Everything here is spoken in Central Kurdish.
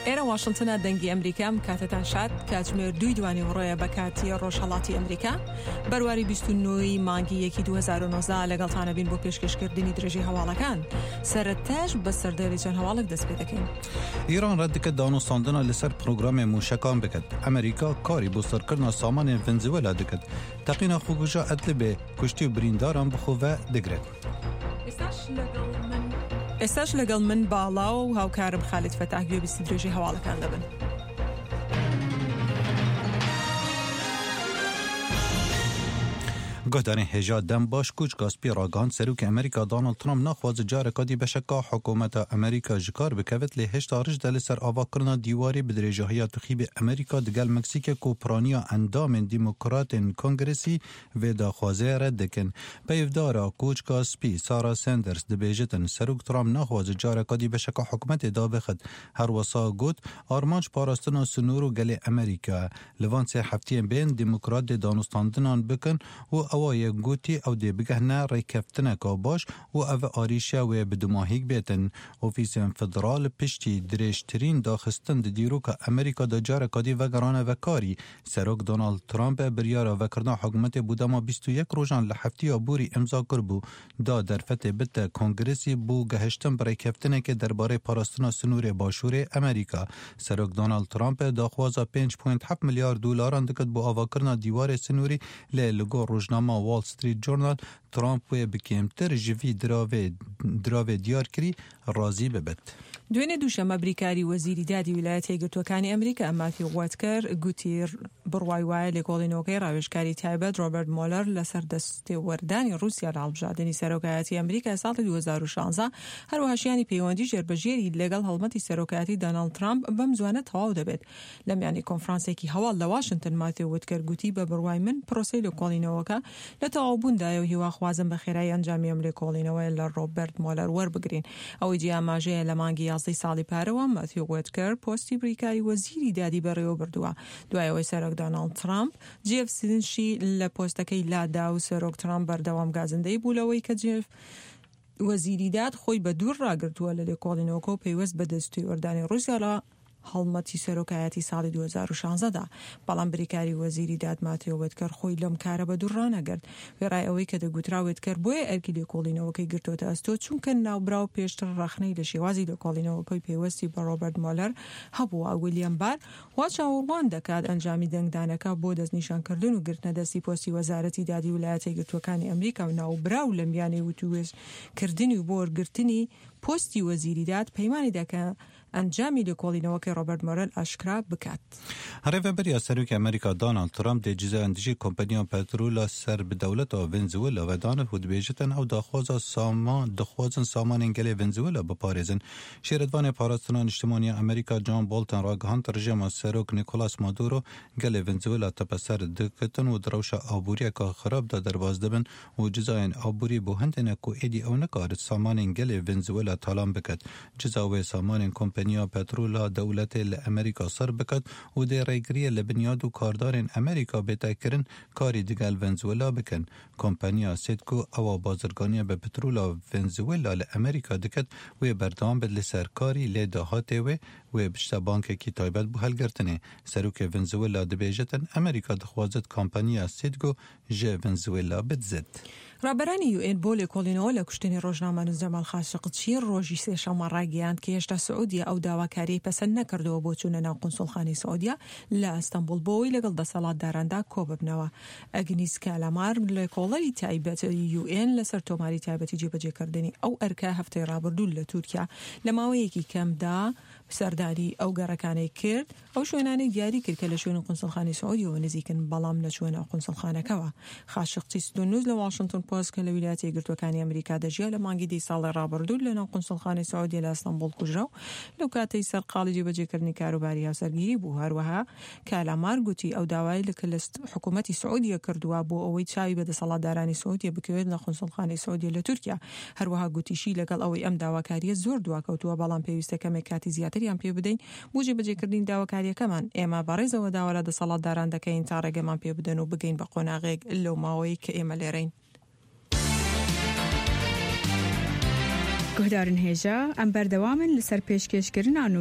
ئێرە واشنتنە دەنگی ئەمریکا ئەم کاتەتان شاد کاتژمێر دووی دوانی وڕۆیە بە کاتی ڕۆژهەڵاتی ئەمریکا بەرواری 29 مانگی یەکی 2009 لەگەڵتانە بین بۆ پێشکەشکردنی درێژەی هەواڵەکان سەرەتاش بە سەردێری چەند هەواڵێک دەست پێ دەکەین. ئیران ڕەت دکەت دانوستاندنا لەسەر پرۆگرامێ موشەکان بکەت. ئەمریکا کاری بۆ سڕکردنا سامانێن ڤنزوێلا دکەت. تەقینا خۆکوژا ئەدلبێ کوشتی و برینداران بخۆ ڤە دگرێت. ئێستاش لەگەڵ من باڵا و هاوکارم خالید فەتاح گوێبیستی درێژەی هەواڵەکان دەبن. گۆهدارên hêja dem baş Koçka Spî ragihand Serokê Amerîka Donald Trump naxwaze careka dî beşeka hikûmeta Amerîka ji kar bikevit lê hêşta rij de li ser avakirina dîwarê bi dirêjahiya tixîbê Amerîka digel Meksîkê ku piraniya endamên Demokratên Kongresî vê daxwazê red dikin. Peyvdara Koçka Spî Sarah Sanders dibêjitin Serok Trump naxwaze careka dî beşeka hikûmetê dabixit. Her wisa got, Armanc parastina sinor û gelê Amerîka ye. Li van sê hefteyên bên Demokrat dê danûstandinan bikin û ewa yek gotî ew dê bigehne rêkeftineka baş û ev arîşe wê bi dumahîk bêtin. Ofîsên federal piştî dirêjtirîn daxistin di dîroka Amerîka de careka dî vegerane vekarî. Serok Donald Trump biryara vekirina hikûmetê bo dema 21 rojan li hefteya borî îmza kiribû da derfetê bide Kongresî bo gehiştin bi rêkeftinekê derbarê parastina sinûrê başûrê Amerîka. Serok Donald Trump daxwaza 5.7 milyar dolaran dikit bo avakirina dîwarê sinûrî lê li gor rojnama Wall Street Journal Trump wê bi kêmtir ji vî diravê diravê diyarkirî razî bibit. دوێنێ دووشەممە بریکاری وەزیری دادی ویلایەتە یەکگرتووەکانی ئەمریکا ماتیو وەتکەر گوتی بڕوای وایە لێکۆڵینەوەکەی ڕاوێژکاری تایبەت ڕۆبەرت مۆلەر لەسەر دەستێوەردانی ڕووسیا لە هەڵبژاردنی سەرۆکایەتی ئەمریکا ساڵی 2016 هەروەها شیانی پەیوەندی ژێربەژێری لەگەڵ هەڵمەتی سەرۆکایەتی دۆناڵد ترامپ بەم زوانە تەواو دەبێت. لە میانی کۆنفرانسێکی هەواڵ لە واشنتن ماتیو وتکەر گوتی بە بڕوای من پرۆسەی لێکۆڵینەوەکە لە تەواوبووندایە و هیواخوازم بە خێرایی ئەنجامی ئەم لێکۆڵینەوەیە لە ڕۆبەرت مۆلەر وەربگرین. ئەوەی جێی ئاماژەیە لە مانگی یازدەی ساڵی پارەوە ماتیو وتکەر پۆستی بریکاری وەزیری دادی بەڕێوەبردووە دوای ئەوەی سەرۆک دۆناڵد ترامپ جێف سینشی لە پۆستەکەی لادا و سەرۆک ترامپ بەردەوام گازندەی بوو لەوەی کە جێف وەزیری داد خۆی بە دوور ڕاگرتووە لە لێکۆڵینەوەکە و پەیوەست بە دەستێوەردانی ڕووسیا لە هەڵمەتی سەرۆکایەتی ساڵی 2016 دا، بەڵام بریکاری وەزیری داد ماتیۆ وێتکەر خۆی لەم کارە بە دوور ڕانەگرت. وێڕای ئەوەی کە دەگوترا وێتکەر بۆیە ئەرکی لێکۆڵینەوەکەی گرتۆتە ئەستۆ چونکە ناوبراو پێشتر ڕەخنەی لە شێوازی لێکۆڵینەوەکەی پەیوەستی بە ڕۆبەرت مۆلەر هەبووە. ویلیەم بار وا چاوەڕوان دەکات ئەنجامی دەنگدانەکە بۆ دەستنیشانکردن و گرتنە دەستی پۆستی وەزارەتی دادی ولایەتە یەکگرتووەکانی ئەمریکا و ناوبراو لە میانەی وتووێژکردنی و بۆ وەرگرتنی پۆستی وەزیری داد پەیمانی دا کە ئەنجامی لێکۆڵینەوەکەی ڕۆبەرت مۆرێل ئاشکرا بکات. Rêveberiya Serokê Amerîka Donald Trump dê cizayên dijî kompaniya petrola ser bi dewleta Venezuela vedanit û dibêjitin ew daxwaza sama dixwazin samanên gelê Venezuela biparêzin. Şêretvanê Parastina Niştimanî ya Amerîka John Bolton ragihand rejîma Serok Nicolas Maduro gelê Venezuela tepeser dikitin û di rewşa aboriyeke xirab de derbas dibin û cizayên aborî bo hindê ne ku êdî ew nikarit samanên gelê Venezuela talan biket. Ciza wê samanên kompaniya petrola dewletê li Amerîka sir biket û dê rêgiriyê li binyad û kardarên Amerîka bête kirin karî digel Venezuela bikin. Kompaniya Citgo ewa bazirganiya bi petrola Venezuela li Amerîka diket wê berdewam bit li ser karî lê dahatê wê wê biçite bankekî taybet bo helgirtinê. Serokê Venezuela dibêjitin Amerîka dixwazit kompaniya Citgo ji Venezuela bidizit. ڕابەرانی یوئێن بۆ لێکۆڵینەوە لە کوشتنی ڕۆژنامەنووس جەمال خاشقچی ڕۆژی سێشەممە ڕایگەیاند کە هێشتا سعودیە ئەو داواکارییەی پەسەند نەکردووە بۆ چوونە ناو قونسوڵخانەی سعودیە لە ئەستەنبوڵ بۆ ئەوەی لەگەڵ دەسەڵاتداراندا کۆببنەوە. ئەگنیس کالامار لێکۆڵەری تایبەت یوئێن لەسەر تۆماری تایبەتی جێبەجێکردنی ئەو ئەرکە هەفتەی ڕابردوو لە تورکیا لە ماوەیەکی کەمدا سەردانی ئەو گەڕەکانەی کرد، ئەو شوێنانەی دیاری کرد کە لە شوێنی قونسڵخانەی سعودیەوە نزیکن، بەڵام نەچووە ناو قونسڵخانەکەوە. خاشقچی ستوننووس لە واشنتن پۆست کە لە ویلایەتە یەکگرتووەکانی ئەمریکا دەژیا، لە مانگی دەی ساڵی ڕابردوو لە ناو قونسڵخانەی سعودیە لە ئەستەنبوڵ کوژرا و لەو کاتەی سەرقاڵی جێبەجێکردنی کاروباری هاوسەرگیری بوو. هەروەها کالامار گوتی ئەو داوای لە کە لە حکوومەتی سعودیە کردووە بۆ ئەوەی چاوی بە دەسەڵاتدارانی سعودیە بکەوێت لە قونسڵخانەی سعودیە لە تورکیا. هەروەها گوتیشی لەگەڵ ئەوەی ئەم داواکارییە زۆر دواکەوتووە، بەڵام پێویستە کەمێک کاتی زیاتریان پێ بدەین بۆ جێبەجێکردنی داواکارییەکەمان، ئێمە بەڕێزەوە داوا لە دەسەڵاتداران دەکەین تا ڕێگەمان پێ بدەن و بگەین بە قۆناغێک لەو ماوەیەی کە ئێمە لێرەین. گوهدارن هێژا، ئەم بەردەوامن لەسەر پێشکێشکردنا نوچە.